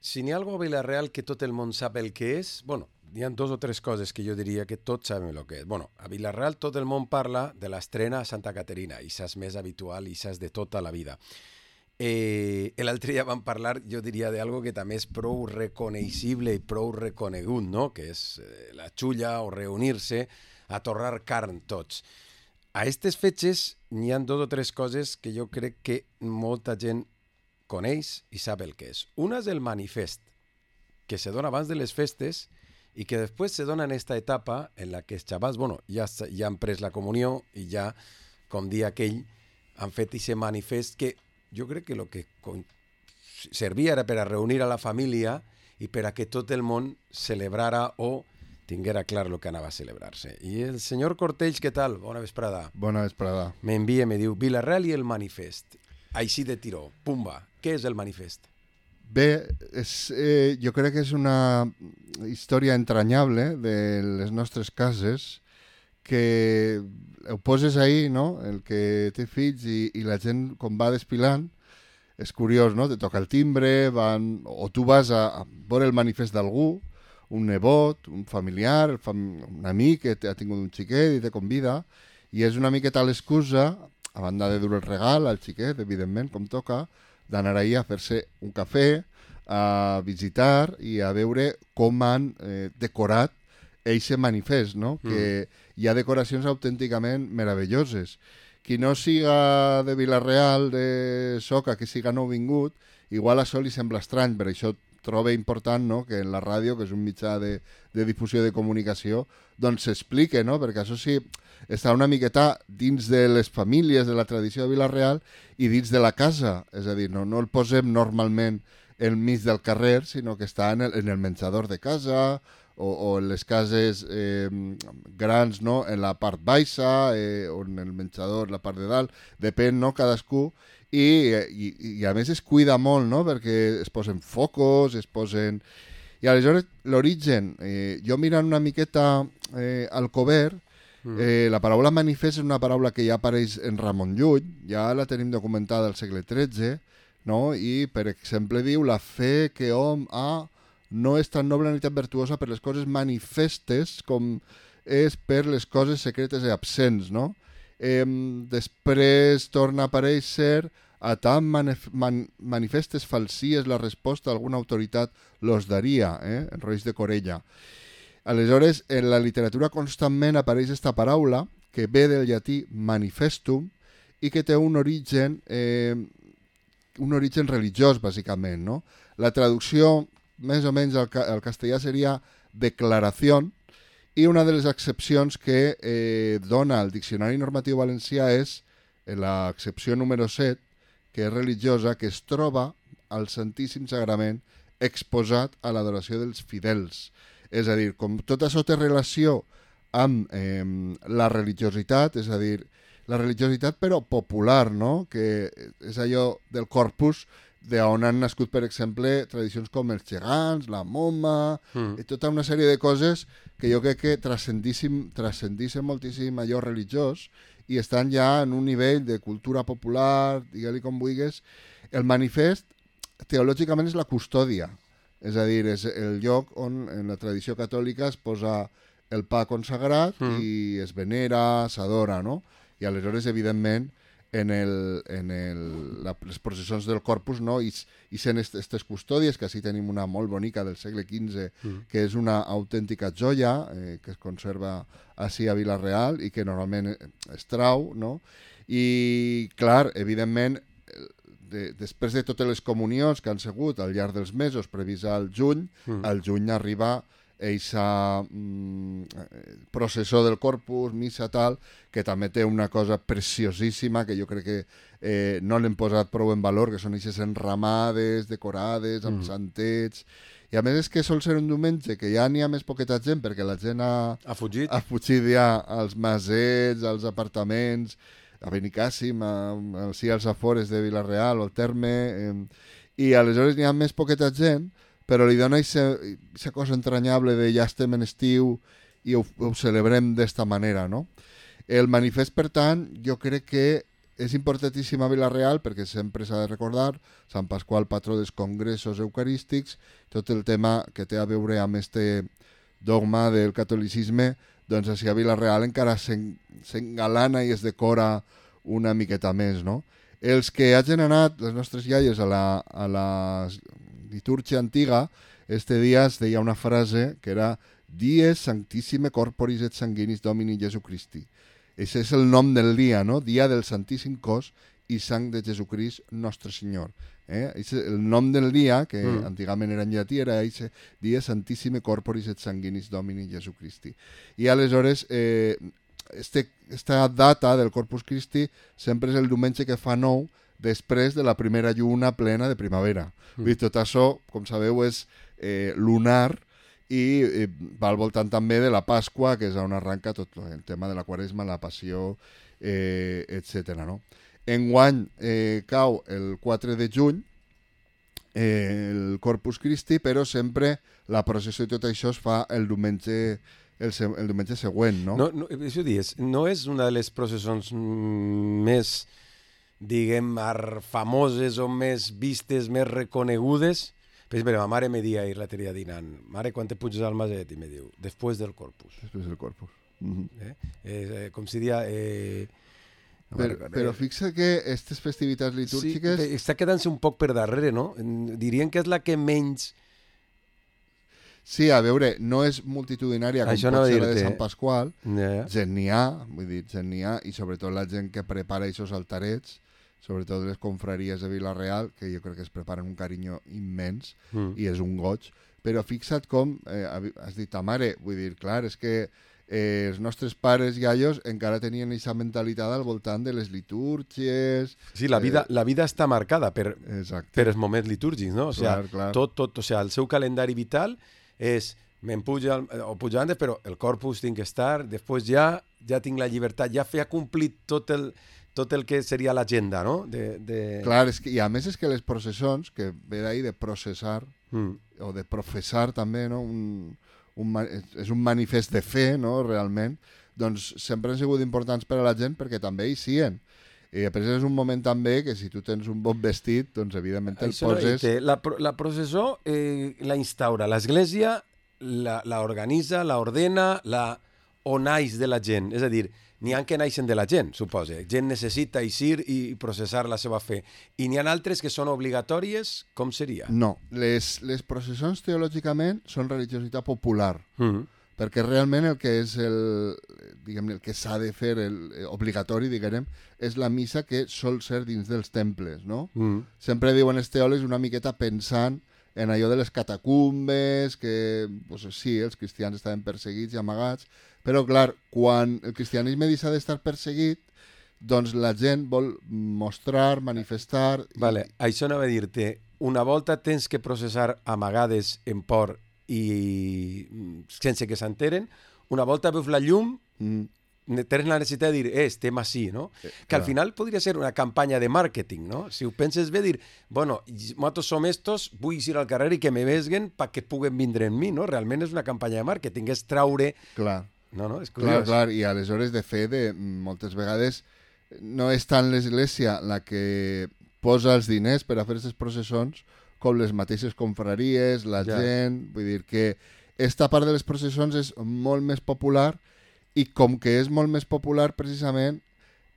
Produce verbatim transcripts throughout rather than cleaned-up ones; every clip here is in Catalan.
si n'hi ha alguna cosa a Vila-real que tot el món sap el que és, bueno, hi ha dos o tres coses que jo diria que tots sabem el que és. Bueno, a Vila-real tot el món parla de l'estrena a Santa Caterina, i és més habitual, i és de tota la vida. Eh, L'altre dia vam parlar, jo diria, d'algo que també és prou reconeixible i prou reconegut, no? Que és eh, la xulla o reunir-se a torrar carn tots. A aquestes fetges n'hi ha dos o tres coses que jo crec que molta gent coneix i sap el que és. Una és el manifest, que se dona abans de les festes i que després se dona en esta etapa en la que els xavals, bueno, ja, ja han pres la comunió i ja, com dia aquell, han fet aquest manifest que jo crec que el que servia era per a reunir a la família i per a que tot el món celebrara o tinguera clar el que anava a celebrar-se. I el senyor Cortells, què tal? Bona vesprada. Bona vesprada. M'envia, me diu, Vila-real i el manifest. Així de tiró, pumba. Què és el manifest? Bé, és, eh, jo crec que és una història entranyable de les nostres cases que ho poses ahir, no?, el que té fills i, i la gent com va desfilant, és curiós, no?, te toca el timbre, van, o tu vas a, a veure el manifest d'algú, un nebot, un familiar, fam, un amic que ha tingut un xiquet i te convida, i és una miqueta l'excusa, a banda de dur el regal al xiquet, evidentment, com toca, d'anar ahir a fer-se un cafè, a visitar i a veure com han eh, decorat eixe manifest, no? Mm. Que hi ha decoracions autènticament meravelloses. Qui no siga de Vila-real, de Soca, que siga nouvingut, igual això li sembla estrany, per això trobo important, no?, que en la ràdio, que és un mitjà de, de difusió de comunicació, doncs s'explique, no?, perquè això sí, està una miqueta dins de les famílies, de la tradició de Vila-real i dins de la casa, és a dir, no, no el posem normalment al mig del carrer, sinó que està en el, en el menjador de casa o, o en les cases eh, grans, no?, en la part baixa eh, o en el menjador, la part de dalt, depèn, no?, cadascú. I, i, i a més es cuida molt, no?, perquè es posen focus, es posen... I aleshores l'origen, eh, jo mirant una miqueta eh, al cobert, eh, la paraula manifest és una paraula que ja apareix en Ramon Llull, ja la tenim documentada al segle tretze, no?, i per exemple diu la fe que hom ha no és tan noble ni tan virtuosa per les coses manifestes com és per les coses secretes i absents, no? Eh, després torna a aparèixer a tan manif man manifestes falsies la resposta d'alguna autoritat los daria, eh? En Roig de Corella. Aleshores, en la literatura constantment apareix esta paraula que ve del llatí manifestum i que té un origen, eh, un origen religiós, bàsicament, no? La traducció, més o menys, al, ca al castellà seria declaració, i una de les excepcions que eh, dona el Diccionari Normatiu Valencià és l'excepció número set, que és religiosa, que es troba al Santíssim Sagrament exposat a l'adoració dels fidels. És a dir, com tot això té relació amb eh, la religiositat, és a dir, la religiositat però popular, no?, que és allò del corpus d'on han nascut, per exemple, tradicions com els gegants, la moma, mm. i tota una sèrie de coses que jo crec que transcendissin moltíssim allò religiós i estan ja en un nivell de cultura popular, digue-li com vulguis. El manifest, teològicament, és la custòdia, és a dir, és el lloc on en la tradició catòlica es posa el pa consagrat mm. i es venera, s'adora, no? I aleshores, evidentment, en, el, en el, la, les processons del Corpus, no? I, i sent aquestes custòdies, que així tenim una molt bonica del segle quinze, mm. que és una autèntica joia, eh, que es conserva així a Vila-real i que normalment es trau, no? I, clar, evidentment, de, després de totes les comunions que han sigut al llarg dels mesos previst al juny, mm. al juny arriba eixa mm, processó del Corpus, missa tal, que també té una cosa preciosíssima que jo crec que eh, no l'hem posat prou en valor, que són eixes enramades, decorades, amb mm. santets, i a més és que sol ser un diumenge que ja n'hi ha més poqueta gent perquè la gent ha, ha fugit, ha fugit ja als masets, als apartaments, a Benicàssim, sí, als afores de Vila-real o al Terme, eh, i aleshores n'hi ha més poqueta gent, però li dona aquesta cosa entranyable de ja estem en estiu i ho, ho celebrem d'esta manera, no? El manifest, per tant, jo crec que és importantíssim a Vila-real perquè sempre s'ha de recordar Sant Pasqual, patró dels congressos eucarístics, tot el tema que té a veure amb este dogma del catolicisme, doncs així a Vila-real encara s'engalana i es decora una miqueta més, no? Els que hagin anat, les nostres iaies, a la, a la litúrgia antiga, este dia es deia una frase que era Dies Sanctissime Corporis et Sanguinis Domini Jesu Christi. Ese és el nom del dia, no? Dia del Santíssim Cos i Sang de Jesucrist Nostre Senyor. Eh? El nom del dia, que mm. antigament era en llatí, era ese Dia Santissime Corporis et Sanguinis Domini Jesu Christi. I aleshores, eh, este, esta data del Corpus Christi sempre és el diumenge que fa nou després de la primera lluna plena de primavera. Mm. I tot això, com sabeu, és eh, lunar, i eh, va al voltant també de la Pasqua, que és on arranca tot el tema de la Quaresma, la Passió, eh, etcètera. No? Enguany eh, cau el quatre de juny eh, el Corpus Christi, però sempre la processó i tot això es fa el diumenge, el, se el diumenge següent. No? No, no, això dius, no és una de les processons més, diguem, famoses o més vistes, més reconegudes. Per exemple, ma mare me dia ahir l'altre dia dinant, mare, quan te puges al maset? I me diu, després del Corpus. Després del Corpus. Mm-hmm. eh? Eh, com si dia... Eh... No però, eh... però fixa que aquestes festivitats litúrgiques... Sí, està quedant-se un poc per darrere, no? Dirien que és la que menys... Sí, a veure, no és multitudinària com Això pot no ser dir-te. la de Sant Pasqual. Yeah. Gent n'hi ha, vull dir, gent n'hi ha, i sobretot la gent que prepara aquests altarets, sobretot les confraries de Vila-real, que jo crec que es preparen un carinyo immens, mm. i és un goig, però fixa't com, eh, has dit ta mare, vull dir, clar, és que eh, els nostres pares i aios encara tenien aquesta mentalitat al voltant de les litúrgies... Sí, la vida, eh, la vida està marcada per, per els moments litúrgics, no? O sigui, clar, clar. Tot, tot, o sigui, el seu calendari vital és, me'n puja, o puja antes, però el Corpus tinc que estar, després ja, ja tinc la llibertat, ja fe ha complit tot el... tot el que seria l'agenda, no? De, de... Clar, és que, i a més és que les processons, que ve d'ahir de processar, mm. o de professar també, no? Un, un, és un manifest de fe, no? Realment, doncs sempre han sigut importants per a la gent perquè també hi sien. I després és un moment també que si tu tens un bon vestit, doncs evidentment el Això poses... No, la, la processó eh, la instaura l'Església, la, la organitza, la ordena, la on naix de la gent. És a dir, n'hi ha que naixen de la gent, suposa. Gent necessita eixir i processar la seva fe. I n'hi ha altres que són obligatòries, com seria? No, les, les processons teològicament són religiositat popular, mm. perquè realment el que és el, diguem, el que s'ha de fer, el, el obligatori, diguem, és la missa que sol ser dins dels temples, no? Mm. Sempre diuen els teòlegs una miqueta pensant en allò de les catacumbes, que pues, sí, els cristians estaven perseguits i amagats, però clar, quan el cristianisme deixa d'estar perseguit, doncs la gent vol mostrar, manifestar... Vale, i... això anava a dir-te, una volta tens que processar amagades en por i sense que s'enteren, una volta veus la llum, mm. tens la necessitat de dir, eh, estem així, no? Eh, que al final podria ser una campanya de màrqueting, no? Si ho penses bé, dir, bueno, nosaltres som estos, vull ir al carrer i que me vesguen perquè puguen vindre en mi, no? Realment és una campanya de màrqueting, és traure... Clar. No, no, és clar, clar, i aleshores de fet de, moltes vegades no és tant l'Església la que posa els diners per a fer aquestes processons com les mateixes confraries, la ja. gent, vull dir que esta part de les processons és molt més popular i com que és molt més popular precisament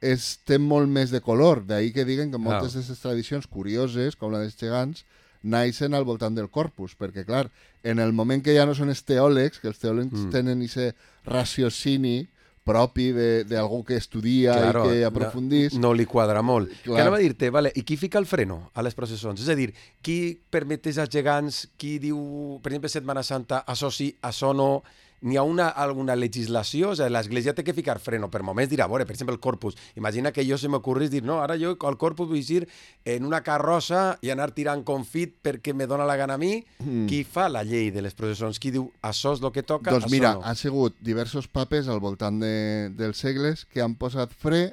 és, té molt més de color, d'ahir que diguen que moltes d'aquestes tradicions curioses com la dels gegants naixen al voltant del Corpus, perquè clar, en el moment que ja no són els teòlegs, que els teòlegs mm. tenen aquest raciocini propi d'algú que estudia claro, i que aprofundís... No, no li quadra molt. Clar. Que anava a dir-te, vale, i qui fica el freno a les processons? És a dir, qui permetés als gegants, qui diu, per exemple, Setmana Santa, això sí, això no... N'hi ha una, alguna legislació? O sigui, l'Església té que ficar freno. Per moments dirà, veure, per exemple, el Corpus. Imagina que jo se m'ocorrís dir, no, ara jo al Corpus vull ir en una carrossa i anar tirant confit perquè me dóna la gana a mi. Mm. Qui fa la llei de les processons? Qui diu, això és el que toca, doncs això mira, no? Ha sigut diversos papes al voltant de, dels segles que han posat fre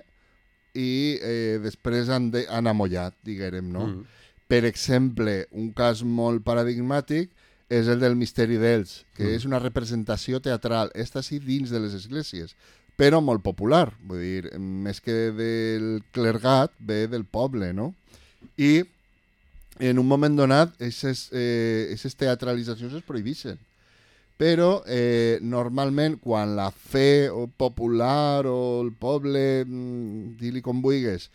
i eh, després han, de, han amollat, diguem, no? Mm. Per exemple, un cas molt paradigmàtic és el del Misteri d'Ells, que mm. és una representació teatral. Està sí dins de les esglésies, però molt popular. Vull dir, més que del clergat, ve del poble, no? I en un moment donat, aquestes eh, teatralitzacions es prohibeixen. Però eh, normalment quan la fe o popular o el poble, di-li com vulguis,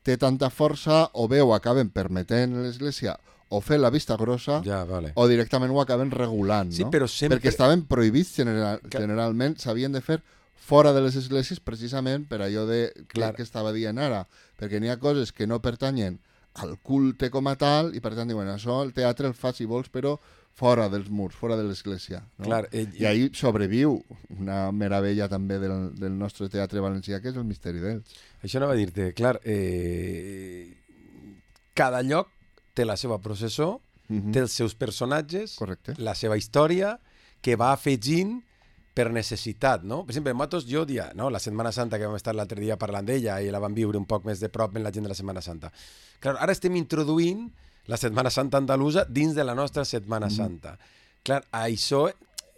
té tanta força, o bé ho acaben permetent a l'Església o fer la vista grossa, ja, vale. o directament ho acaben regulant, sí, no? Però sempre... Perquè estaven prohibits general, generalment, s'havien de fer fora de les esglésies precisament per allò de, que, que estava dient ara, perquè n'hi ha coses que no pertanyen al culte com a tal i per tant diuen, això el teatre el fa si vols, però fora dels murs, fora de l'església, no? Clar, eh, I ahí sobreviu una meravella també del, del nostre teatre valencià, que és el Misteri d'Elx. Això anava a dir-te, clar, eh, cada lloc té la seva processó, uh-huh. té els seus personatges, correcte, la seva història, que va afegint per necessitat, no? Per exemple, nosaltres jo dia, no? La Setmana Santa, que vam estar l'altre dia parlant d'ella i la vam viure un poc més de prop amb la gent de la Setmana Santa. Clar, ara estem introduint la Setmana Santa andalusa dins de la nostra Setmana mm. Santa. Clar, això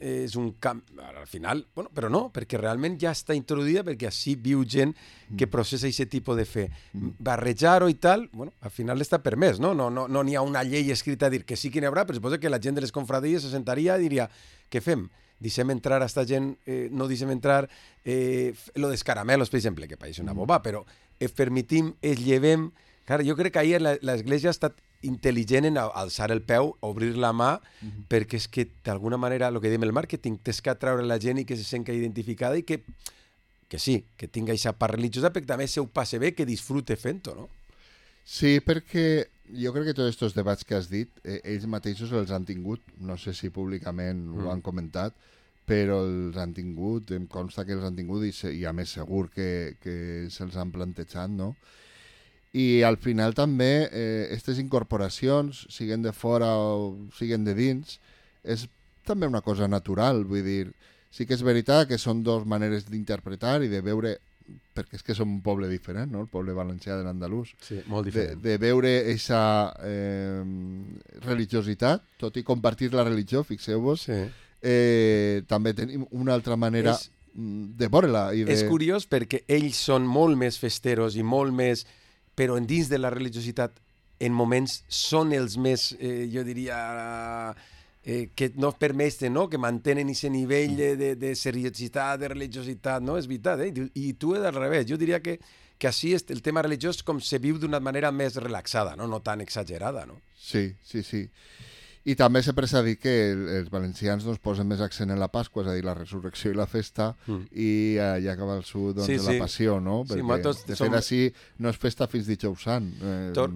és un camp... Al final, bueno, però no, perquè realment ja està introduïda, perquè així viu gent que processa aquest tipus de fe. Mm. Barrejar-ho i tal, bueno, al final està permès, no? No n'hi no, no ha una llei escrita a dir que sí que n'hi haurà, però suposa que la gent de les confraries se sentaria i diria, què fem? Deixem entrar a esta gent, eh, no deixem entrar eh, lo dels caramelos, per exemple, que pareix una boba, però eh, permetim, es llevem... Clar, jo crec que ahir l'Església ha estat intel·ligent en alçar el peu, obrir la mà, uh-huh. perquè és que d'alguna manera, el que diem el màrqueting, tens que atraure la gent i que se senta identificada i que, que sí, que tinga aquesta part religiosa, perquè també se ho passe bé, que disfrute fent-ho, no? Sí, perquè jo crec que tots aquests debats que has dit, eh, ells mateixos els han tingut, no sé si públicament mm. ho han comentat, però els han tingut, em consta que els han tingut i, se, i a més segur que, que se'ls han plantejat, no? I al final també aquestes eh, incorporacions, siguen de fora o siguen de dins, és també una cosa natural, vull dir, sí que és veritat que són dues maneres d'interpretar i de veure, perquè és que som un poble diferent, no? El poble valencià de l'andalús, sí, molt diferent. De, de veure aquesta eh, religiositat, tot i compartir la religió, fixeu-vos, sí. eh, també tenim una altra manera és, de veure-la. I de... És curiós perquè ells són molt més festeros i molt més... però en dins de la religiositat, en moments, són els més, eh, jo diria, eh, que no permeten, no? Que mantenen aquest nivell de, de, de seriositat, de religiositat, no? És veritat, eh? I tu és al revés. Jo diria que, que així el tema religiós com se viu d'una manera més relaxada, no? No tan exagerada, no? Sí, sí, sí. I també sempre s'ha dit que els valencians doncs, posen més accent en la Pasqua, és a dir, la resurrecció i la festa, mm. i allà acaba el sud doncs, sí, sí. de la passió, no? Perquè, sí, de fet, som... així no és festa fins dijous sant. Eh... Tor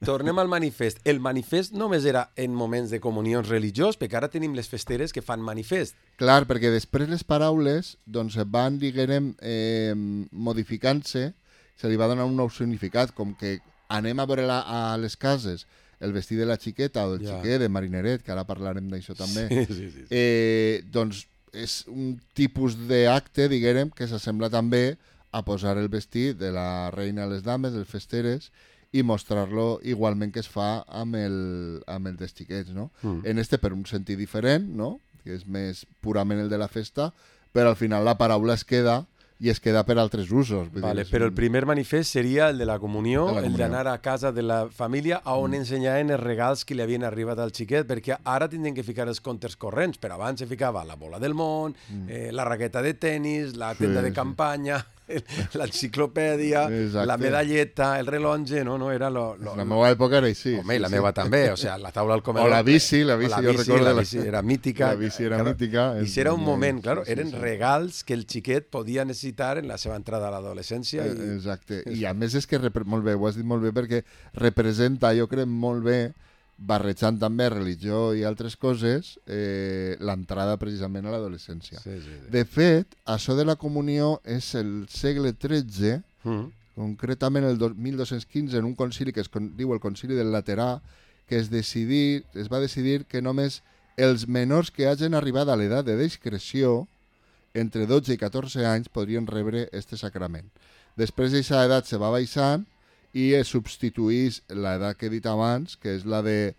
Tornem al manifest. El manifest només era en moments de comunions religiós, perquè ara tenim les festeres que fan manifest. Clar, perquè després les paraules doncs, van, diguem, eh, modificant-se, se li va donar un nou significat, com que anem a veure la, a les cases el vestit de la xiqueta o del ja. xiquet de marineret, que ara parlarem d'això també, sí, sí, sí. Eh, doncs és un tipus d'acte, diguem, que s'assembla també a posar el vestit de la reina a les dames, les festeres, i mostrar-lo igualment que es fa amb el, amb el dels xiquets, no? Mm. En este per un sentit diferent, no? Que és més purament el de la festa, però al final la paraula es queda i es queda per altres usos. Vale, però el primer manifest seria el de la comunió, de la comunió. El d'anar a casa de la família on mm. ensenyaven els regals que li havien arribat al xiquet, perquè ara tindrien que ficar els comptes corrents, però abans se ficava la bola del món, mm. eh, la raqueta de tennis, la tenda sí, de campanya, sí. l'enciclopèdia, la medalleta, el rellotge, no? no era lo, lo, la meva època era així. Home, sí, la sí. meva també, o sea, la taula al comedor. O la bici, la bici, la jo bici, recordo. La bici era mítica. La bici era claro, mítica. I si era un moment, claro, sí, sí, eren sí. regals que el xiquet podia necessitar en la seva entrada a l'adolescència. I... Exacte. I a més és que, molt bé, ho has dit molt bé, perquè representa, jo crec, molt bé, barrejant també religió i altres coses, eh, l'entrada precisament a l'adolescència. Sí, sí, sí. De fet, això de la comunió és el segle tretze, mm. concretament el mil dos-cents quinze, en un concili que es diu el Concili del Laterà, que es, decidir, es va decidir que només els menors que hagin arribat a l'edat de discreció, entre dotze i catorze anys, podrien rebre este sacrament. Després d'aquesta edat se va baixant i es substituís l'edat que he dit abans, que és la de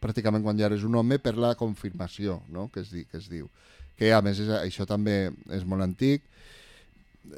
pràcticament quan ja eres un home, per la confirmació, no? que, es di, que es diu. Que a més és, això també és molt antic.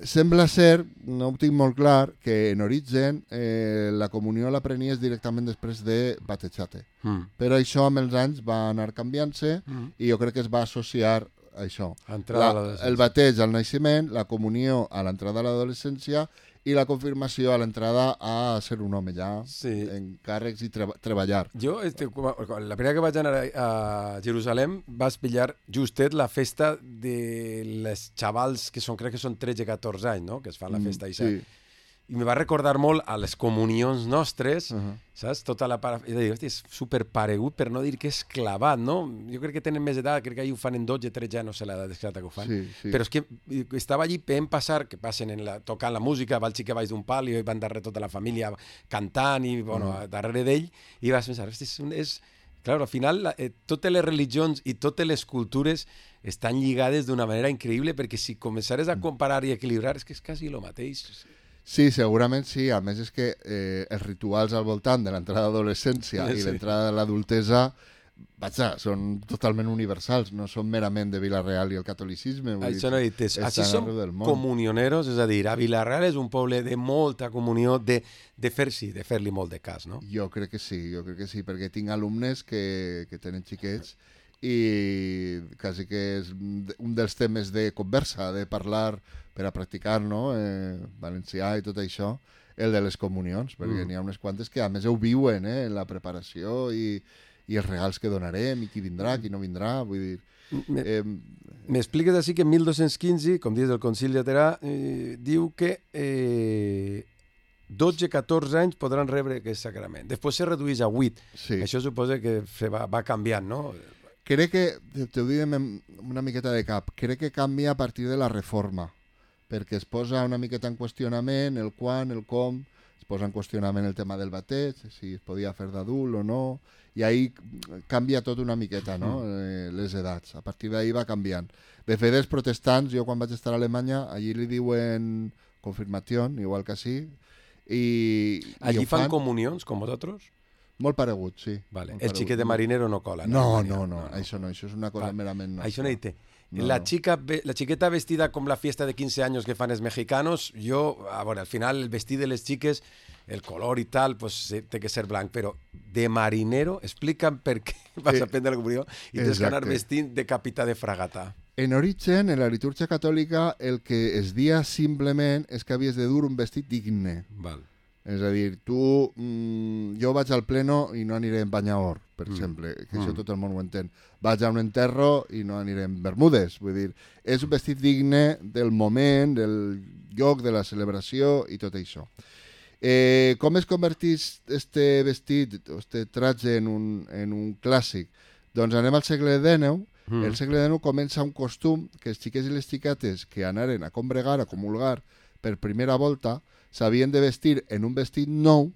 sembla ser, no ho tinc molt clar, que en origen eh, la comunió la prenies directament després de batejate. Mm. Però això amb els anys va anar canviant-se mm. i jo crec que es va associar a això. La, el bateig al naixement, la comunió a l'entrada a l'adolescència i la confirmació a l'entrada a ser un home ja, sí. en càrrecs i treba treballar. Jo, este, la primera que vaig anar a, a Jerusalem, vas pillar justet la festa de les xavals que són, crec que són tretze o catorze anys, no?, que es fan la festa. Mm, sí. I me va recordar molt a les comunions nostres, uh -huh. saps? Tota la para... És a dir, hosti, és superparegut, per no dir que és clavat, no? Jo crec que tenen més edat, crec que ahir ho fan en dotze, tretze anys, no sé l'edat exacta que ho fan. Sí, sí. Però és que estava allí, veient passar, que passen en la, tocant la música, va el xic baix d'un pal i van darrere tota la família cantant i, bueno, uh -huh. darrere d'ell, i vas pensar, hosti, és... Un, és... Clar, al final, la, eh, totes les religions i totes les cultures estan lligades d'una manera increïble, perquè si començares a comparar i equilibrar, és que és quasi el mateix. Sí, segurament sí. A més és que eh, els rituals al voltant de l'entrada d'adolescència sí. i l'entrada de l'adultesa, vaja, són totalment universals, no són merament de Vila-real i el catolicisme. Això no he dit. Així som comunioneros, és a dir, a Vila-real és un poble de molta comunió, de, de fer sí, de fer-li molt de cas, no? Jo crec que sí, jo crec que sí, perquè tinc alumnes que, que tenen xiquets i quasi que és un dels temes de conversa, de parlar per a practicar, no?, eh, valencià i tot això, el de les comunions, perquè mm. n'hi ha unes quantes que a més ho viuen, eh, en la preparació i, i els regals que donarem i qui vindrà, qui no vindrà, vull dir... Eh, M'expliques així que en mil dos-cents quinze, com dius del Concili Laterà, eh, diu que eh, dotze a catorze anys podran rebre aquest sacrament. Després se redueix a vuit. Sí. Això suposa que se va, va canviant, no? Crec que, t'ho diré una miqueta de cap, crec que canvia a partir de la reforma, perquè es posa una miqueta en qüestionament el quan, el com, es posa en qüestionament el tema del bateig, si es podia fer d'adult o no, i ahí canvia tot una miqueta, no?, eh, les edats. A partir d'ahí va canviant. De fet, els protestants, jo quan vaig estar a Alemanya, allí li diuen confirmació, igual que sí. I, allí i fan, fan comunions, com vosaltres? Molt paregut, sí. Vale. Molt el paregut. xiquet de marinero no cola. No, no, no, no, no, això no, això és una cosa vale. merament nostra. Això no hi té. No, la, chica, la chiqueta vestida com la fiesta de quinze anys que fan els mexicanos, jo, a veure, al final el vestit de les xiques, el color i tal, pues té que ser blanc, però de marinero, explica'm per què vas eh, a prendre la comunió i tens que anar vestint de capità de fragata. En origen, en la litúrgia catòlica, el que es dia simplement és que havies de dur un vestit digne. Val. És a dir, tu, mmm, jo vaig al pleno i no aniré en banyaor, per mm. exemple, que mm. això tot el món ho entén. Vaig a un enterro i no aniré en bermudes, vull dir, és un vestit digne del moment, del lloc, de la celebració i tot això. Eh, com es convertís este vestit, este tratge en un, en un clàssic? Doncs anem al segle dinou. Mm. El segle dinou comença un costum que els xiquets i les xiquetes que anaren a combregar, a comulgar per primera volta, s'havien de vestir en un vestit nou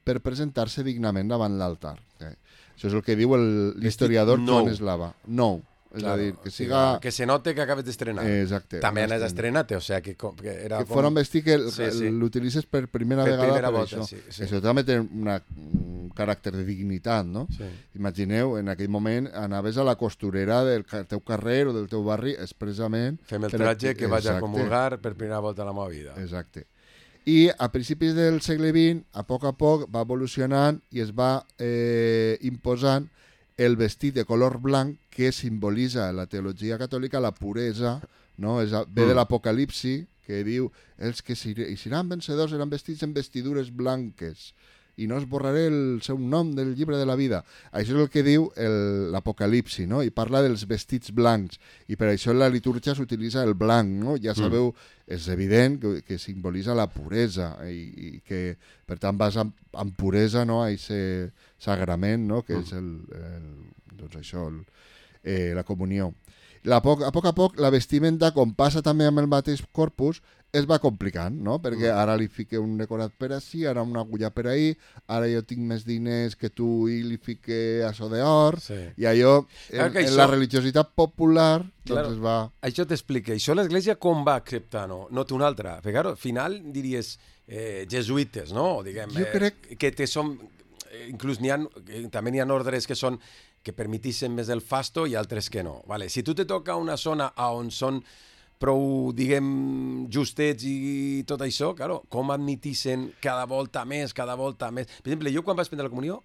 per presentar-se dignament davant l'altar. Eh? Això és el que diu l'historiador Joan Eslava. Nou. És claro, a dir, que siga... Que se note que acabes d'estrenar. Exacte. També n'has estrenat, o sea, que, que era que com... fora un vestit que sí, sí. l'utilitzes per primera per vegada primera per volta, això. Sí, sí. Això també té una, un caràcter de dignitat, no? Sí. Imagineu, en aquell moment anaves a la costurera del teu carrer o del teu barri expressament... Fem el tratge que vaig a comulgar per primera volta a la meva vida. Exacte. I a principis del segle vint, a poc a poc, va evolucionant i es va eh, imposant el vestit de color blanc que simbolitza en la teologia catòlica la puresa, no? És, ve de l'Apocalipsi, que diu els que seran vencedors seran vestits en vestidures blanques i no esborraré el seu nom del llibre de la vida. Això és el que diu l'Apocalipsi, no? I parla dels vestits blancs. I per això en la litúrgia s'utilitza el blanc, no? Ja sabeu, mm. és evident que, que simbolitza la puresa i, i que, per tant, vas amb, amb puresa, no?, a aquest sagrament, no?, que mm. és el, el, doncs això, el, eh, la comunió. La poc, a poc a poc, la vestimenta, com passa també amb el mateix corpus, es va complicant, no? Perquè ara li fique un decorat per ací, ara una agulla per ahí, ara jo tinc més diners que tu i li fique això d'or, sí. I allò, en, en això... la religiositat popular, doncs claro, es va... Això t'explica. Això l'Església com va acceptar, no? No té una altra. Perquè, claro, al final diries eh, jesuïtes, no? Diguem, jo crec... Eh, que te són... Inclús n'hi ha, també n'hi ha ordres que són que permetissin més el fasto i altres que no. Vale. Si tu te toca una zona on són prou, diguem, justets i tot això, claro, com admitissen cada volta més, cada volta més. Per exemple, jo quan vaig prendre la comunió,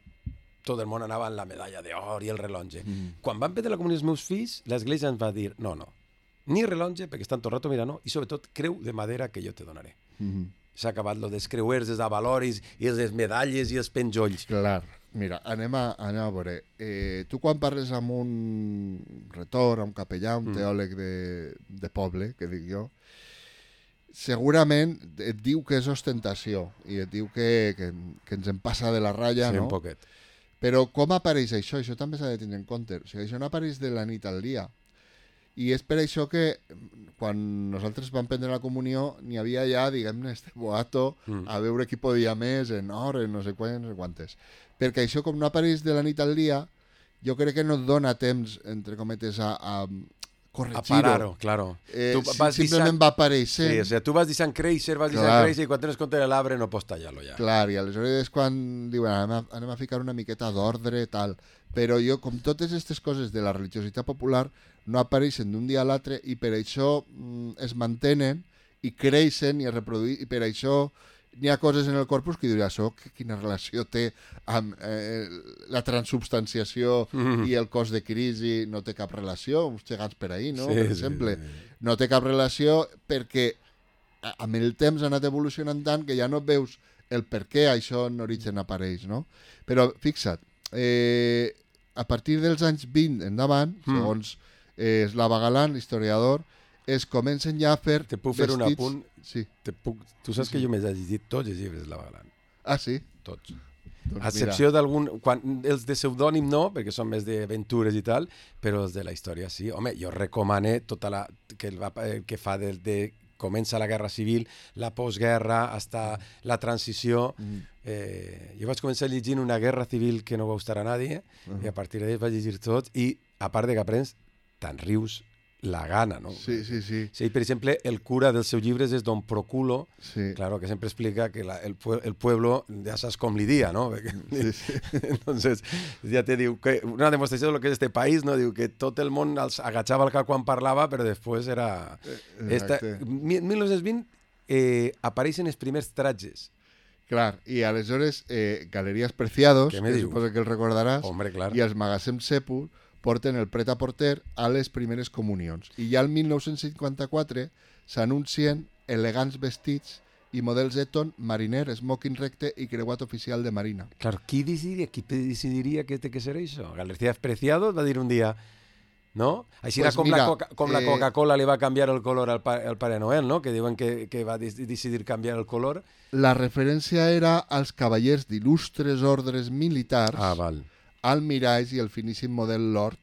tot el món anava amb la medalla d'or i el rellotge. Mm. Quan van prendre la comunió els meus fills, l'església ens va dir, no, no, ni rellotge, perquè estan tot el rato mirant, no, i sobretot creu de madera que jo te donaré. Mm-hmm. S'ha acabat lo dels creuers, els avaloris, i les medalles i els penjolls. Clar. Mira, anem a, anem a veure. Eh, tu quan parles amb un retor, un capellà, un mm. teòleg de, de poble, que dic jo, segurament et diu que és ostentació i et diu que, que, que ens en passa de la ratlla, sí, no? Un poquet. Però com apareix això? Això també s'ha de tenir en compte. O sigui, això no apareix de la nit al dia. I és per això que quan nosaltres vam prendre la comunió n'hi havia ja, diguem-ne, este boato mm. a veure qui podia més en or, en no sé quants, no sé quantes. Perquè això, com no apareix de la nit al dia, jo crec que no et dona temps, entre cometes, a, a corregir-ho. A parar-ho, claro. Eh, tu vas simplement deixant... va apareixent. Sí, o sigui, tu vas deixant créixer, vas deixant créixer, i quan tens compte de l'arbre no pots tallar-lo ja. Clar, i aleshores és quan diuen anem a, anem a ficar una miqueta d'ordre, tal. Però jo, com totes aquestes coses de la religiositat popular, no apareixen d'un dia a l'altre i per això mm, es mantenen i creixen i es reproduïen, i per això n'hi ha coses en el corpus que diria, això quina relació té amb eh, la transubstanciació mm. i el cos de crisi, no té cap relació, uns gegants per ahir, no? Sí, per exemple, sí, sí. No té cap relació perquè amb el temps ha anat evolucionant tant que ja no veus el per què això en origen apareix, no? Però fixa't, eh, a partir dels anys vint endavant, mm. segons eh, Slava Galan, l'historiador, es comencen ja a fer Te puc fer vestits... un apunt? Sí. Te puc... Tu saps sí. que jo m'he llegit tots els llibres de Slava Galan. Ah, sí? Tots. Doncs a excepció d'algun... Quan... Els de pseudònim no, perquè són més d'aventures i tal, però els de la història sí. Home, jo recomane tota la... que, el, va... el que fa del de... comença la guerra civil, la postguerra, hasta la transició. Mm. Eh, jo vaig començar llegint una guerra civil que no va gustar a nadie, uh -huh. i a partir d'ahí vaig llegir tot, i a part de que aprens, te'n rius la gana, no? Sí, sí, sí. Sí, per exemple, el cura dels seus llibres és Don Proculo, sí. claro, que sempre explica que la, el, el pueblo ja saps com li dia, no? Sí, sí. Entonces, ja te diu que una demostració de lo que és este país, no? Diu que tot el món els agachava el cap quan parlava, però després era... Esta... mil nou-cents vint eh, apareixen els primers tratges. Clar, i aleshores eh, Galeries Preciados, que diu? suposo que el recordaràs, Hombre, clar. i els magasins Sepul porten el pret-a-porter a les primeres comunions. I ja el mil nou-cents cinquanta-quatre s'anuncien elegants vestits i models Eton, mariner, smoking recte i creuat oficial de marina. Claro, qui decidiria, qui decidiria que té que ser això? Galeries Preciados va dir un dia, no? Així pues era com, mira, la, Coca, com eh... la Coca-Cola li va canviar el color al, pa, al Pare Noel, no? Que diuen que, que va decidir canviar el color. La referència era als cavallers d'il·lustres ordres militars, ah, val. almiralls i el finíssim model Lord,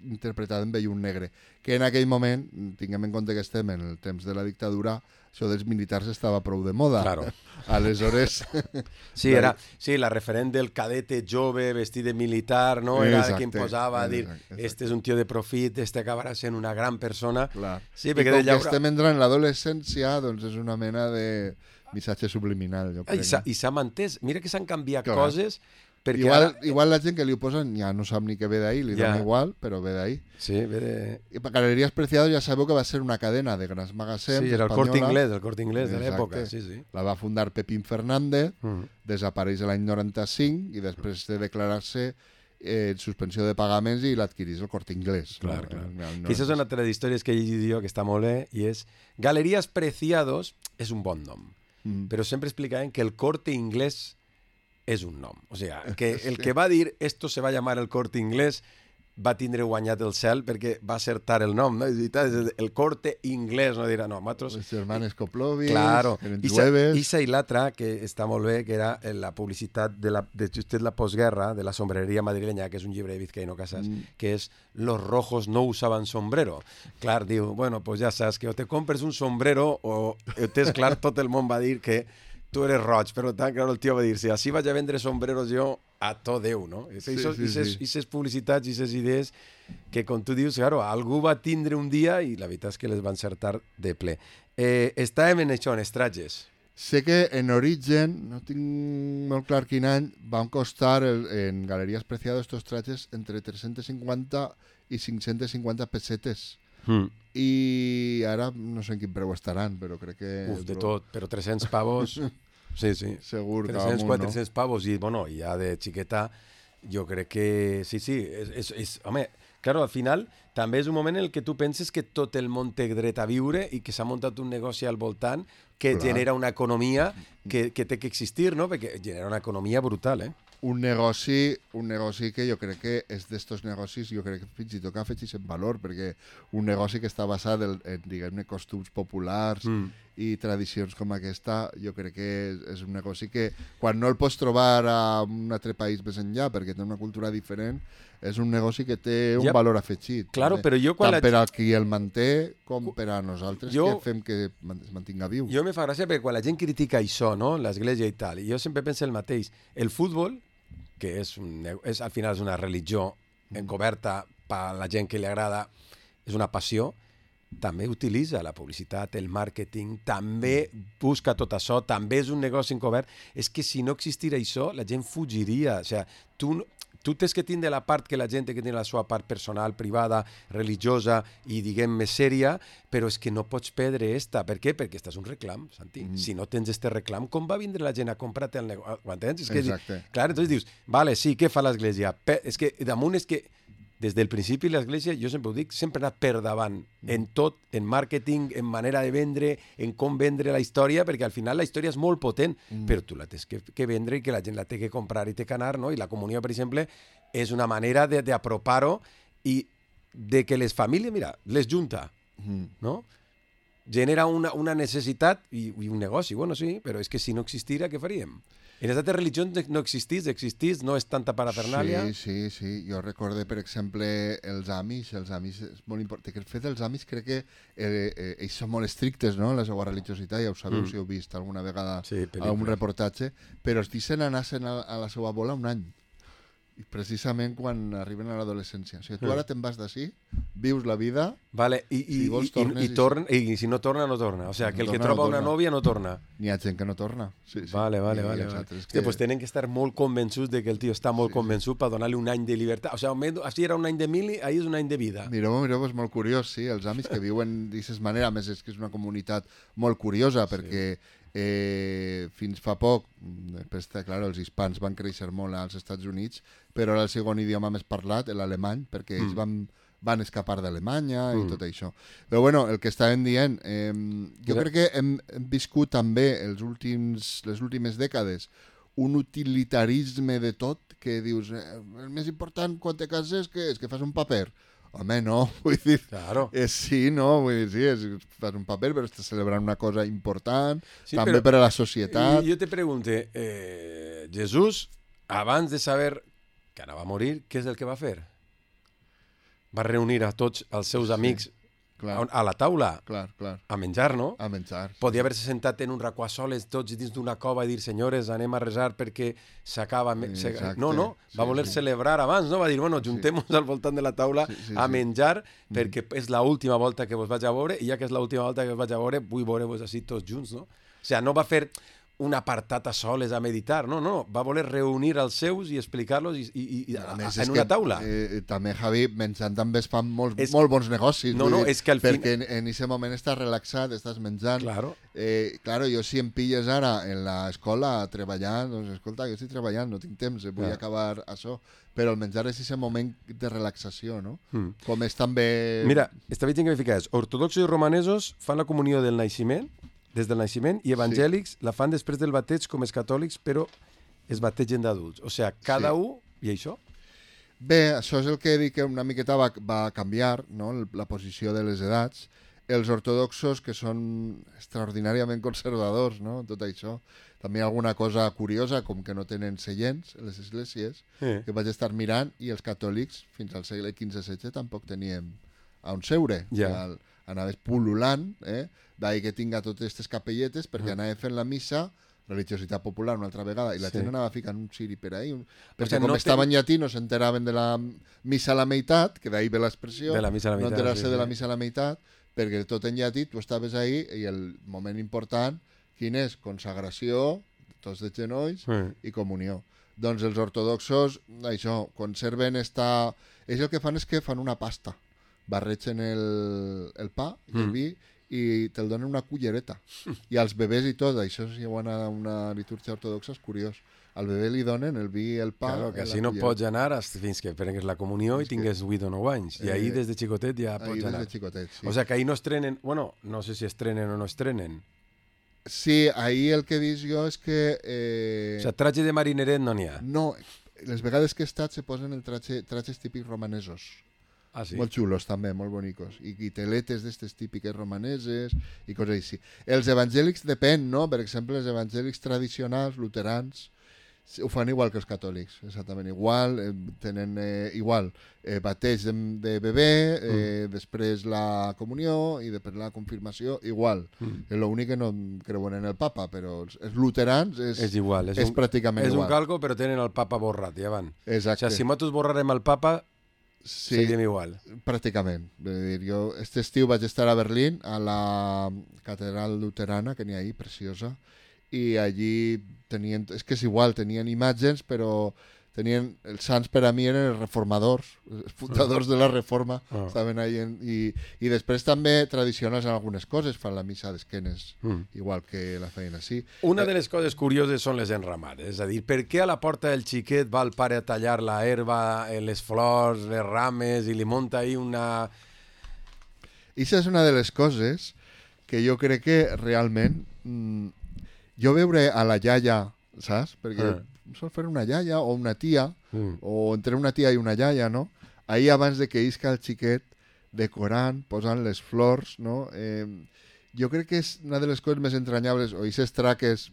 interpretat en vellum negre, que en aquell moment, tinguem en compte que estem en el temps de la dictadura, això dels militars estava prou de moda. Claro. Aleshores... Sí, era, sí, la referent del cadete jove vestit de militar, no? Era exacte, qui posava a dir, exacte. Este és un tio de profit, este acabarà sent una gran persona. Clar. Sí, I com que llaura... estem entrant en l'adolescència, doncs és una mena de missatge subliminal. Jo crec. I s'ha mantès. Mira que s'han canviat Clar. coses... Perquè igual, ara... igual la gent que li ho posen ja no sap ni què ve d'ahir, li ja. dona igual, però ve d'ahir. Sí, ve de... I per Galeries Preciados ja sabeu que va ser una cadena de grans magasins sí, era el Corte espanyola. Inglés, el Corte Inglés de l'època. Sí, sí. La va fundar Pepín Fernández, mm. desapareix l'any noranta-cinc i després de declarar-se eh, suspensió de pagaments i l'adquirís el Corte Inglés. Clar, no? clar. No, no, Aquesta és una de les històries que he llegit jo que està molt bé i és Galeries Preciados és un bon nom, mm. però sempre explicaven que el Corte Inglés és un nom. O sigui, que el que va dir esto se va llamar el Corte Inglés va tindre guanyat el cel perquè va acertar el nom, no? El Corte Inglés, no dirà, no, nosaltres... Els germanes Koplovic, claro. eren jueves... Isa i l'altra, que està molt bé, que era la publicitat de, la, de justet la postguerra, de la sombreria madrileña, que és un llibre de Vizcaíno Casas, mm. que és Los rojos no usaban sombrero. Clar, diu, bueno, pues ja saps que o te compres un sombrero o tens clar, tot el món va dir que tu eres roig, però tant, clar, el tio va dir, si així vaig a vendre sombreros jo, a tot Déu, no? I sí, sí, sí. Aquestes publicitats i aquestes idees que, com tu dius, claro, algú va tindre un dia i la veritat és que les van encertar de ple. Eh, estàvem en això, en estratges. Sé que en origen, no tinc molt clar quin any, van costar el, en Galeries Preciados estos trajes entre tres-cents cinquanta i cinc-cents cinquanta pessetes. Mm. I ara no sé en quin preu estaran, però crec que... Uf, de tot, però tres-cents pavos... Sí, sí. Segur que tres-cents, amunt, quatre-cents pavos i, bueno, ja de xiqueta, jo crec que... Sí, sí, és, és, és... Home, claro, al final també és un moment en el que tu penses que tot el món té dret a viure i que s'ha muntat un negoci al voltant que Clar. genera una economia que, que té que existir, no? Perquè genera una economia brutal, eh? Un negoci, un negoci que jo crec que és d'estos negocis, jo crec que fins i tot que afegeix en valor, perquè un negoci que està basat en, en diguem-ne, costums populars mm. i tradicions com aquesta, jo crec que és, és un negoci que quan no el pots trobar a un altre país més enllà, perquè té una cultura diferent, és un negoci que té un ja, valor afegit. Claro, també, però jo quan tant la... per al qui el manté com per a nosaltres jo... que fem que es mantinga viu. Jo me fa gràcia perquè quan la gent critica això, no? L'església i tal, i jo sempre penso el mateix. El futbol, que és, un, és al final és una religió encoberta per a la gent que li agrada, és una passió, també utilitza la publicitat, el màrqueting, també busca tot això, també és un negoci encobert. És que si no existira això, la gent fugiria. O sigui, tu, tu tens que tindre la part que la gent té que tenir la seva part personal, privada, religiosa i, diguem, més sèria, però és que no pots perdre esta. Per què? Perquè estàs un reclam, Santi. Mm. Si no tens este reclam, com va vindre la gent a comprar-te el negoci? Ho entens? És que, exacte. Clar, entonces dius, vale, sí, què fa l'Església? Pe és que damunt és que des del principi l'Església, jo sempre ho dic, sempre ha anat per davant, mm. en tot, en màrqueting, en manera de vendre, en com vendre la història, perquè al final la història és molt potent, mm. però tu la tens que, que vendre i que la gent la té que comprar i té que anar, no? I la comunió, per exemple, és una manera d'apropar-ho i de que les famílies, mira, les junta, mm. no? Genera una, una necessitat i, i un negoci, bueno, sí, però és que si no existira, què faríem? En les altres religions no existís, existís, no és tanta parafernàlia. Sí, sí, sí. Jo recorde, per exemple, els Amish. Els Amish és molt important. El fet dels Amish crec que eh, eh, ells són molt estrictes, no?, en la seva religiositat. Ja ho sabeu, mm. si heu vist alguna vegada sí, algun reportatge. Però els deixen anar-se'n a, a la seva bola un any. I precisament quan arriben a l'adolescència. O sigui, tu ara te'n vas d'ací, vius la vida... Vale, i, i, si vols, tornes, i, i, torna, i si no torna, no torna. O sigui, que el torna, que troba no una nòvia no torna. N'hi ha gent que no torna. Sí, sí. Vale, vale, vale. vale. Que... Hòstia, pues tenen que estar molt convençuts de que el tio està molt sí, convençut sí. per donar-li un any de llibertat. O sigui, així era un any de mili, ahí és un any de vida. Mireu, mireu, és molt curiós, sí. Els Amish que viuen d'aquesta manera, a més és que és una comunitat molt curiosa, perquè... Sí. Eh, fins fa poc, després, clar, els hispans van créixer molt als Estats Units, però era el segon idioma més parlat, l'alemany, perquè ells mm. van, van escapar d'Alemanya mm. i tot això. Però bueno, el que estàvem dient, eh, jo Mira. crec que hem, hem viscut també els últims, les últimes dècades un utilitarisme de tot, que dius, eh, el més important quan te cases que és que fas un paper. Home, no, vull dir, claro. és sí, no, vull dir, sí, és, fas un paper, però estàs celebrant una cosa important, sí, també però, per a la societat. Jo te pregunte, eh, Jesús, abans de saber que anava a morir, què és el que va fer? Va reunir a tots els seus sí, amics a, a la taula clar, clar. a menjar, no? A menjar. Podia haver-se sentat en un racó a soles tots dins d'una cova i dir, senyores, anem a resar perquè s'acaba... Sí, no, no, va voler sí, sí. celebrar abans, no? Va dir, bueno, juntem-nos sí. al voltant de la taula sí, sí, a menjar sí. perquè mm. és l'última volta que vos vaig a veure i ja que és l'última volta que vos vaig a veure, vull veure-vos així tots junts, no? O sigui, no va fer un apartat a soles a meditar, no, no, va voler reunir els seus i explicar-los i, i, i, a, a, en una que, taula. Eh, també, Javi, menjant també es fan molts, és, molt bons negocis. No, no, dir, és que al perquè fin... en aquest moment estàs relaxat, estàs menjant. Claro. Eh, claro, jo si em pilles ara en l'escola treballant, doncs escolta, jo estic treballant, no tinc temps, vull yeah. acabar això. Però el menjar és aquest moment de relaxació, no? Mm. Com és també... Mira, estava dient que me ficaves, ortodoxos i romanesos fan la comunió del naixement, des del naixement, i evangèlics sí. la fan després del bateig com els catòlics, però es bategen d'adults. O sigui, cada sí. un i això? Bé, això és el que dic que una miqueta va, va canviar, no? La posició de les edats. Els ortodoxos, que són extraordinàriament conservadors, no? Tot això. També hi ha alguna cosa curiosa, com que no tenen seients a les esglésies, sí. que vaig estar mirant, i els catòlics, fins al segle quinze setze, tampoc teníem on seure. Ja. El, anaves pul·lulant, eh? D'ahir que tinga totes aquestes capelletes, perquè anava fent la missa, religiositat popular una altra vegada, i la sí. gent anava ficant un ciri per ahí, un... perquè o sigui, com no estava ten... en llatí no s'enteraven de la missa a la meitat, que d'ahir ve l'expressió, no enterar-se sí, de la sí. missa a la meitat, perquè tot en llatí tu estaves ahí i el moment important, quin és? Consagració, tots de genolls sí. i comunió. Doncs els ortodoxos, això, conserven esta... Ells el que fan és que fan una pasta barregen el, el pa i el Mm. vi i te'l donen una cullereta. I als bebès i tot, això si hi ha una, una litúrgia ortodoxa és curiós. Al bebè li donen el vi i el pa. Claro, que i la així no cullereta. pots anar hasta fins que prengues la comunió i És que- tingues vuit o nou anys. I ahir Eh, des de xicotet ja Ahí pots des anar. de xicotet, sí. O sea que ahir no estrenen... Bueno, no sé si estrenen o no estrenen. Sí, ahí el que he vist jo és que... Eh, O sea, traje de marineret no n'hi ha. no, les vegades que he estat se posen el traje, trajes típics romanesos. Ah, sí? Molt xulos també, molt bonicos. I, i teletes d'estes típiques romaneses i coses així. Els evangèlics depèn, no? Per exemple, els evangèlics tradicionals, luterans, ho fan igual que els catòlics, exactament igual, eh, tenen eh, igual eh, bateig de, de bebè, eh, mm. després la comunió i després la confirmació, igual. Mm. Mm. L'únic que no creuen en el papa, però els, els luterans és, És igual. És, és un, pràcticament és igual. un calco, però tenen el papa borrat, ja van. Exacte. O sea, si nosaltres borrarem el papa, sí, seguim igual. pràcticament. Vull dir, jo este estiu vaig estar a Berlín, a la catedral luterana que n'hi ha ahí, preciosa, i allí tenien, és que és igual, tenien imatges, però tenien, els sants per a mi eren els reformadors, els fundadors de la reforma, Ah. estaven ahí, en, i, i després també tradicionals en algunes coses, fan la missa d'esquenes, Mm. igual que la feien així. Una de les coses curioses són les enramades. És a dir, per què a la porta del xiquet va el pare a tallar la herba, eh, les flors, les rames, i li munta ahí una... I això és una de les coses que jo crec que realment mm, jo veure a la iaia, saps? Perquè Ah. sol fer una iaia o una tia, Mm. o entre una tia i una iaia, no? Ahir abans de que isca el xiquet, decorant, posant les flors, no? Eh, jo crec que és una de les coses més entranyables, o aquestes traques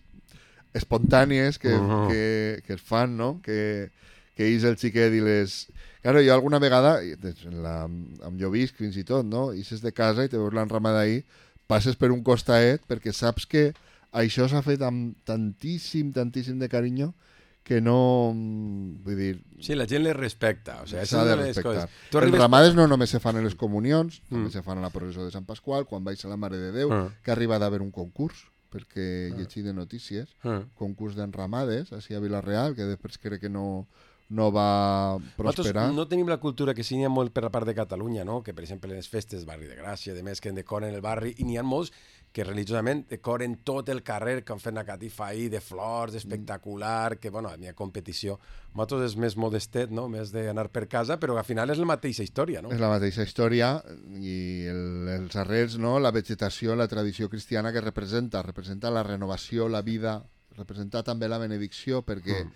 espontànies que, Uh-huh. que, que es fan, no? Que, que és el xiquet i les... Claro, jo alguna vegada, i en la, amb jo visc fins i tot, no? Ixes de casa i te veus l'enramada ahir, passes per un costaet perquè saps que això s'ha fet amb tantíssim, tantíssim de carinyo que no... Vull dir, Sí, la gent les respecta. O sea, és s'ha una de de les respectar. coses. Tu Els arribes... ramades no només se fan a les comunions, Mm. també se fan a la processó de Sant Pasqual, quan vaig a la Mare de Déu, Ah. que arriba d'haver un concurs, perquè llegir de notícies, Ah. concurs d'enramades, així a Vila-real, que després crec que no, no va prosperar. Nosaltres no tenim la cultura que sí n'hi ha molt per la part de Catalunya, no? Que per exemple les festes, barri de Gràcia, de més que decoren el barri, i n'hi ha molts que religiosament decoren tot el carrer, que han fet una catifa ahí de flors, espectacular, que bueno, n'hi ha competició. Nosaltres és més modestet, no? Més d'anar per casa, però al final és la mateixa història, no? És la mateixa història i el, els arrels, no? La vegetació, la tradició cristiana que representa, representa la renovació, la vida, representa també la benedicció, perquè Mm.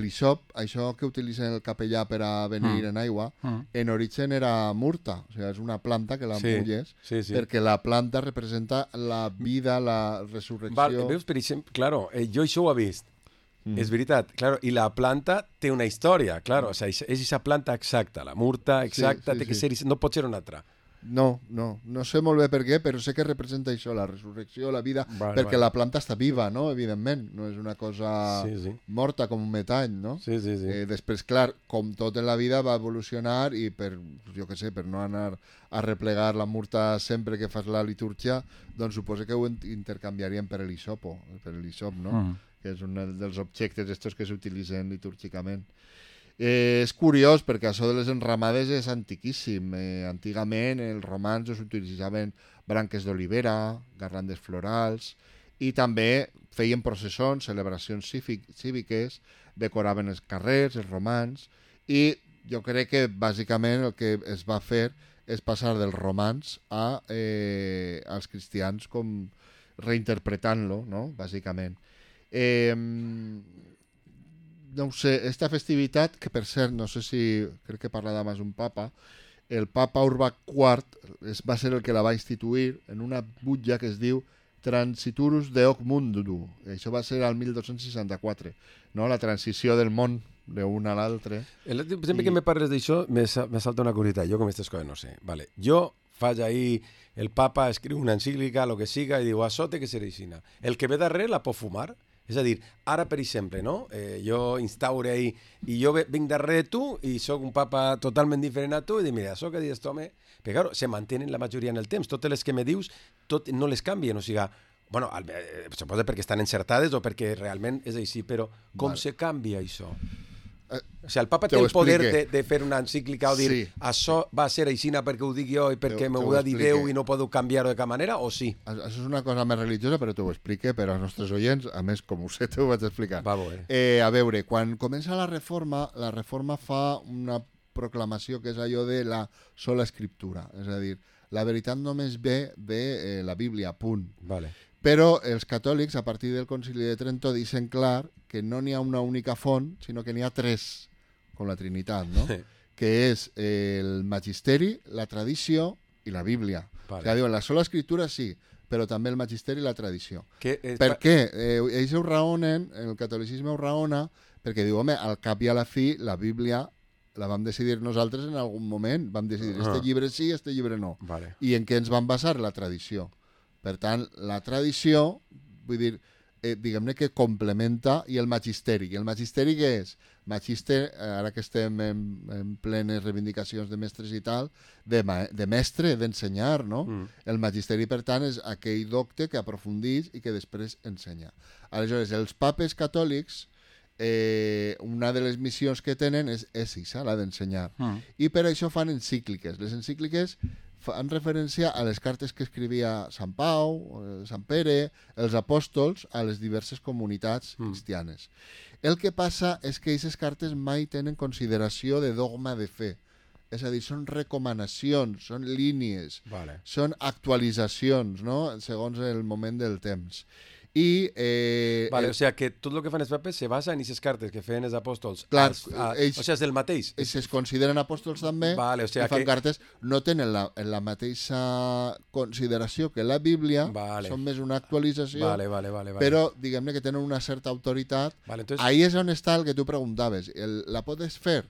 l'hisop, això que utilitzen el capellà per a venir Mm. en aigua, Mm. en origen era murta, o sigui, és una planta que la Sí, mulles, sí, sí. perquè la planta representa la vida, la resurrecció. Val, veus, per exemple, claro, eh, jo això ho he vist. Mm. És veritat, claro, i la planta té una història, claro, o sea, és aquesta planta exacta, la murta exacta, sí, té que sí. ser, no pot ser una altra. No, no, no sé molt bé per què, però sé que representa això, la resurrecció, la vida, Vale, perquè vale. la planta està viva, no?, evidentment, no és una cosa Sí, sí. morta com un metall, no? Sí, sí, sí. Eh, després, clar, com tot en la vida va evolucionar i per, jo què sé, per no anar a replegar la murta sempre que fas la litúrgia, doncs suposo que ho in- intercanviarien per l'hisopo, per l'hisop, no? Mm. Que és un dels objectes estos que s'utilitzen litúrgicament. Eh, és curiós perquè això de les enramades és antiquíssim. Eh, antigament els romans utilitzaven branques d'olivera, garlandes florals i també feien processons, celebracions cívic, cíviques, decoraven els carrers, els romans, i jo crec que bàsicament el que es va fer és passar dels romans a, eh, als cristians com reinterpretant-lo, no?, bàsicament. Eh, no ho sé, esta festivitat, que per cert, no sé si, crec que parla d'abans un papa, el papa Urbà quart es, va ser el que la va instituir en una butlla que es diu Transiturus Deoc Mundo. Això va ser al mil dos-cents seixanta-quatre, no? La transició del món d'un a l'altre. El, sempre I- que me parles d'això, me, sa- me salta una curiositat. Jo com aquestes coses no sé. Vale. Jo faig ahí, el papa escriu una encíclica, lo que siga, i diu, això té que ser aixina. El que ve darrere la pot fumar? És a dir, ara, per exemple, no? Eh, jo instaure ahí, i jo ve- vinc darrere tu, i sóc un papa totalment diferent a tu, i dic, mira, això que dius tu, home... Però, claro, se mantenen la majoria en el temps. Totes les que me dius, tot, no les canvien. O sigui, bueno, al- eh, suposa perquè estan encertades o perquè realment és així, però com Vale. se canvia això? Eh, o sigui, el papa té el poder de, de fer una encíclica o dir sí. això va ser aixina perquè ho dic jo i perquè m'ho ha dit Déu i no puc canviar-ho de cap manera, o sí? Això és una cosa més religiosa, però t'ho explique per als nostres oients, a més, com ho sé, t'ho vaig explicar. Va, bé. Eh, a veure, quan comença la reforma, la reforma fa una proclamació que és allò de la sola escriptura, és a dir, la veritat només ve de eh, la Bíblia, punt. Vale. Però els catòlics, a partir del Concili de Trento, deixen clar que no n'hi ha una única font, sinó que n'hi ha tres, com la Trinitat, no? Sí. Que és el magisteri, la tradició i la Bíblia. Vale. O sigui, diuen, la sola escriptura sí, però també el magisteri i la tradició. Que és... Per què? Eh, ells ho raonen, el catolicisme ho raona, perquè diu, home, al cap i a la fi, la Bíblia la vam decidir nosaltres en algun moment. Vam decidir, este llibre sí, este llibre no. Vale. I en què ens vam basar? La tradició. Per tant, la tradició, vull dir, eh, diguem-ne que complementa, i el magisteri. I el magisteri què és? Magister, ara que estem en, en plenes reivindicacions de mestres i tal, de, ma de mestre, d'ensenyar, no? Mm. El magisteri, per tant, és aquell docte que aprofundeix i que després ensenya. Aleshores, els papes catòlics, eh, una de les missions que tenen és, és això, la d'ensenyar. Mm. I per això fan encícliques. Les encícliques fan referència a les cartes que escrivia Sant Pau, Sant Pere, els apòstols, a les diverses comunitats mm. cristianes. El que passa és que aquestes cartes mai tenen consideració de dogma de fe. És a dir, són recomanacions, són línies, vale. Són actualitzacions, no? Segons el moment del temps. I, eh, vale, el... o sigui que tot el que fan els papes se basa en aquestes cartes que feien els apòstols. Clar, als, a, ells, o sigui, és el mateix. Ells es consideren apòstols també, vale, o sigui i fan que... cartes, no tenen la, la mateixa consideració que la Bíblia, vale. Són més una actualització, vale, vale, vale, vale. Però diguem-ne que tenen una certa autoritat. Vale, entonces... Ahí és on està el que tu preguntaves. El, la pots fer?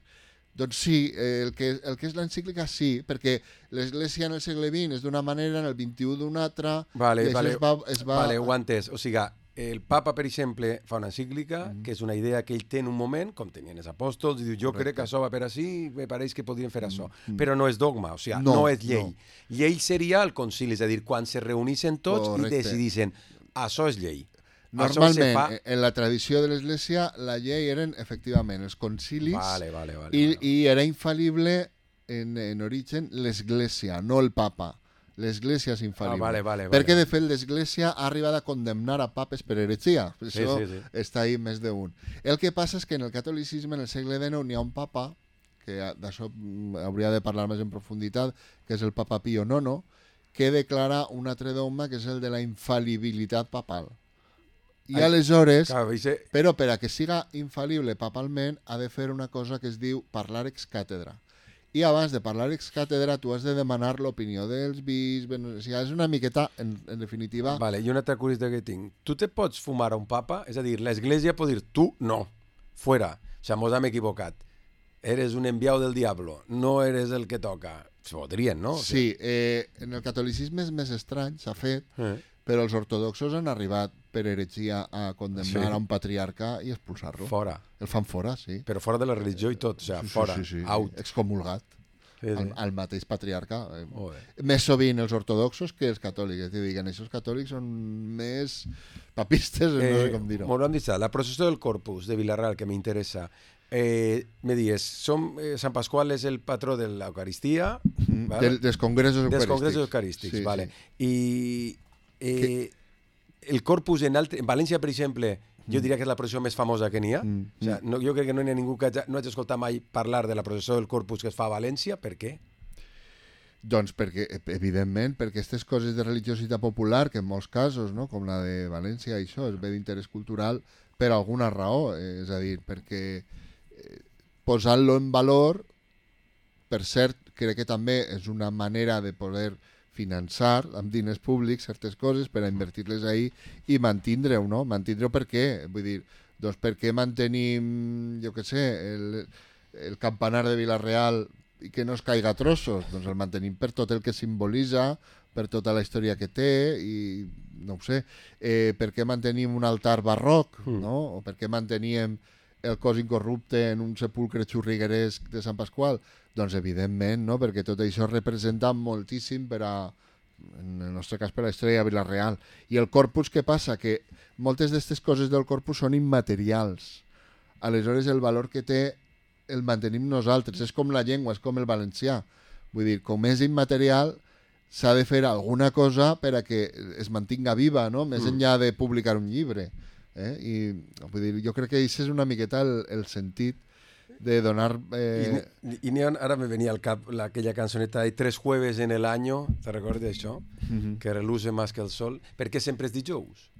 Doncs sí, el que, el que és l'encíclica sí, perquè l'Església en el segle vint és d'una manera, en el vint-i-u d'una altra, vale, i vale, es va, es va... Vale, ho he entès. O sigui, el papa, per exemple, fa una encíclica, mm. que és una idea que ell té en un moment, com tenien els apòstols, i diu, jo Correcte. Crec que això va per així, me pareix que podrien fer això. Mm. Però no és dogma, o sigui, no, no és llei. No. Llei seria el concili, és a dir, quan se reuneixen tots Correcte. I decidissin, això és llei. Normalment, fa... en la tradició de l'Església, la llei eren, efectivament, els concilis, vale, vale, vale, i, vale. I era infal·lible en, en origen l'Església, no el papa. L'Església és infal·lible. Ah, vale, vale, Perquè, vale. de fet, l'Església ha arribat a condemnar a papes per heretgia. Sí, Això sí, sí. està ahí més d'un. El que passa és que en el catolicisme, en el segle dinou, n'hi ha un papa, que d'això hauria de parlar més en profunditat, que és el papa Pío nono, que declara un altre dogma, que és el de la infal·libilitat papal. I aleshores, però per a que siga infal·lible papalment, ha de fer una cosa que es diu parlar ex càtedra. I abans de parlar ex càtedra, tu has de demanar l'opinió dels bisbes, o sigui, és una miqueta, en, en definitiva... Vale, i una altra curiositat que tinc. Tu te pots fumar a un papa? És a dir, l'Església pot dir, tu no, fuera, o sigui, mos hem equivocat. Eres un enviado del diablo, no eres el que toca. Se podrien, no? O sigui... Sí, eh, en el catolicisme és més estrany, s'ha fet, eh. però els ortodoxos han arribat per heretgia a condemnar sí. a un patriarca i expulsar-lo. Fora. El fan fora, sí. Però fora de la religió i tot, o sigui, sí, fora, sí, sí, sí. out. Excomulgat. Sí, sí. Al, al mateix patriarca. Oh, més sovint els ortodoxos que els catòlics. És a dir, que els catòlics són més papistes, eh, no sé com dir-ho. Molt ben dit, la processó del Corpus de Vilarreal, que m'interessa. Eh, me dies, som, eh, Sant Pasqual és el patró de l'Eucaristia, mm, vale? Del, dels congressos eucarístics. Dels congressos eucarístics, sí, vale. Sí. I eh, el Corpus en, altre, en València, per exemple, jo diria que és la processó més famosa que n'hi ha. Mm. O sigui, no, jo crec que no hi ha ningú que hagi, no hagi escoltat mai parlar de la processó del Corpus que es fa a València. Per què? Doncs perquè, evidentment, perquè aquestes coses de religiositat popular, que en molts casos, no, com la de València, això és bé d'interès cultural per alguna raó. Eh, és a dir, perquè eh, posant-lo en valor, per cert, crec que també és una manera de poder finançar amb diners públics certes coses per a invertir-les ahí i mantindre-ho, no? Mantindre-ho per què? Vull dir, doncs per què mantenim, jo què sé, el, el campanar de Vilarreal i que no es caiga a trossos? Doncs el mantenim per tot el que simbolitza, per tota la història que té i no ho sé, eh, per què mantenim un altar barroc, mm. no? O per què manteníem el cos incorrupte en un sepulcre xurrigueresc de Sant Pasqual? Doncs evidentment, no? Perquè tot això representa moltíssim per a, en el nostre cas, per a la història de Vilarreal. I el corpus, què passa? Que moltes d'aquestes coses del corpus són immaterials. Aleshores, el valor que té el mantenim nosaltres, és com la llengua, és com el valencià. Vull dir, com és immaterial, s'ha de fer alguna cosa per a que es mantinga viva, no? Més enllà de publicar un llibre. Eh? I vull dir, jo crec que això és una miqueta el, el sentit de donar... Eh... I, i ara me venia al cap la, aquella cançoneta de Tres jueves en el año, te recordes això? Mm-hmm. Que reluce más que el sol. Per què sempre és dijous?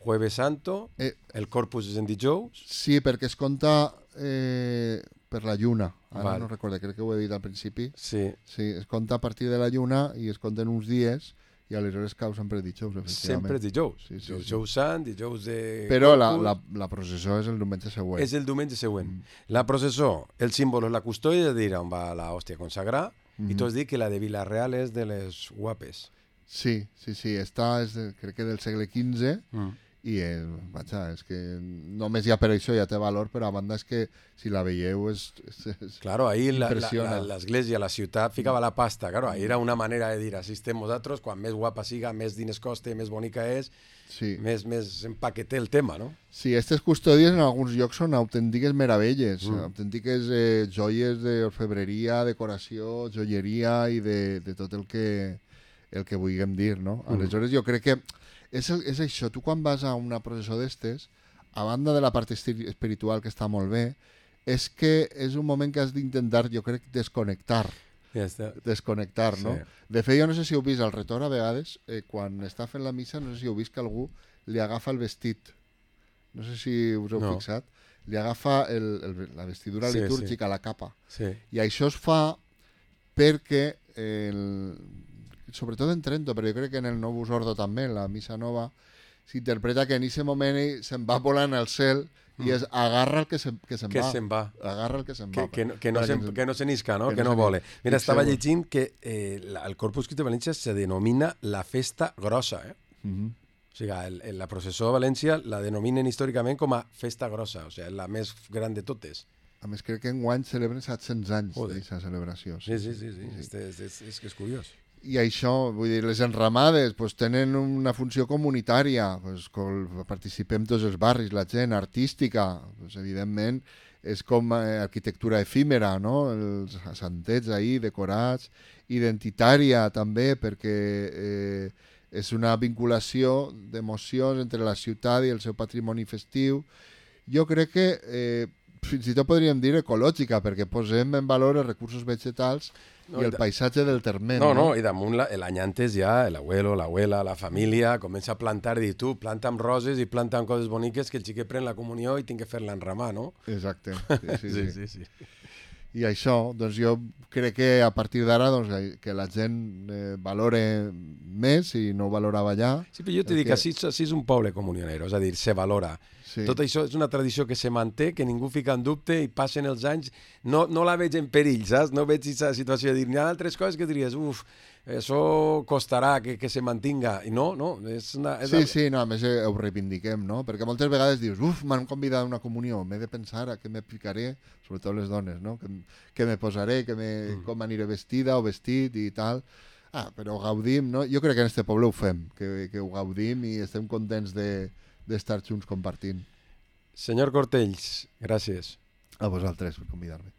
Jueves Santo, eh, el Corpus és en dijous? Sí, perquè es compta eh, per la lluna. Ara Val. no recordo, crec que ho he dit al principi. Sí. Sí, es compta a partir de la lluna i es compten uns dies i aleshores cau sempre dijous, efectivament. Sempre és dijous. Sí, sí, dijous sí. Sant, dijous de... Però la, la, la processó és el diumenge següent. És el diumenge següent. Mm. La processó, el símbol és la custòdia, de dir on va la hòstia consagrar, mm-hmm. i tu has dit que la de Vila-real és de les guapes. Sí, sí, sí. Esta és, de, crec que del segle quinze, mm. i eh, vaja, és que només ja per això ja té valor, però a banda és que si la veieu és, és, és claro, ahí l'església, la, la, la ciutat ficava la pasta, claro, ahí era una manera de dir, així estem nosaltres, quan més guapa siga, més diners coste, més bonica és, sí. més, més empaqueté el tema, no? Sí, aquestes custòdies en alguns llocs són autèntiques meravelles, mm. autèntiques eh, joies d'orfebreria, decoració, joieria i de, de tot el que, el que vulguem dir, no? Mm. Aleshores jo crec que És, és això, tu quan vas a una processó d'estes, a banda de la part espiritual que està molt bé, és que és un moment que has d'intentar, jo crec, desconnectar. Ja està. Desconnectar, no? Sí. De fet, jo no sé si heu vist al retor a vegades, eh, quan està fent la missa, no sé si heu vist que algú li agafa el vestit. No sé si us heu no. fixat. Li agafa el, el, la vestidura sí, litúrgica, sí. la capa. Sí. I això es fa perquè... El, sobretot en Trento, però jo crec que en el Novus Ordo també, en la missa nova, s'interpreta que en aquest moment ell se'n va volant al cel i és agarra el que se'n que se que va. Se'n va. Agarra el que se'n que, va. Que, que, no se, que no se n'isca, no? Que, que no, no vole. Mira, estava llegint que eh, el Corpus Christi de València se denomina la festa grossa, eh? Mm-hmm. O sigui, el, el, la processó de València la denominen històricament com a festa grossa, o sigui, la més gran de totes. A més, crec que enguany celebren set-cents anys d'aquesta celebració. Sí, sí, sí, sí. sí. Este, és, és, és que és curiós. I això, vull dir, les enramades pues, tenen una funció comunitària, pues, participem tots els barris, la gent artística, pues, evidentment, és com eh, arquitectura efímera, no? Els santets ahí decorats, identitària també, perquè eh, és una vinculació d'emocions entre la ciutat i el seu patrimoni festiu. Jo crec que eh, fins i tot podríem dir ecològica, perquè posem en valor els recursos vegetals no, i el paisatge del terme. No, no, no, i damunt l'any antes ja l'abuelo, l'abuela, la família comença a plantar, dir tu, planta amb roses i planta amb coses boniques que el xiquet pren la comunió i tinc que fer-la enramar, no? Exacte. Sí, sí, sí. sí, sí, sí. I això, doncs jo crec que a partir d'ara doncs, que la gent eh, valore més i no ho valorava ja. Sí, però jo t'he dit que així, així és un poble comunionero, és a dir, se valora. Sí. Tot això és una tradició que se manté, que ningú fica en dubte i passen els anys. No, no la veig en perill, saps? No veig aquesta situació de dir, hi ha altres coses que diries, uf, això costarà que, que se mantinga. I no, no. És una, és sí, una... sí, no, a més ho reivindiquem, no? Perquè moltes vegades dius, uf, m'han convidat a una comunió, m'he de pensar a què me ficaré, sobretot les dones, no? Que, que me posaré, que me, mm. com aniré vestida o vestit i tal. Ah, però gaudim, no? Jo crec que en este poble ho fem, que, que ho gaudim i estem contents de d'estar junts compartint. Senyor Cortells, gràcies. A vosaltres per convidar-me.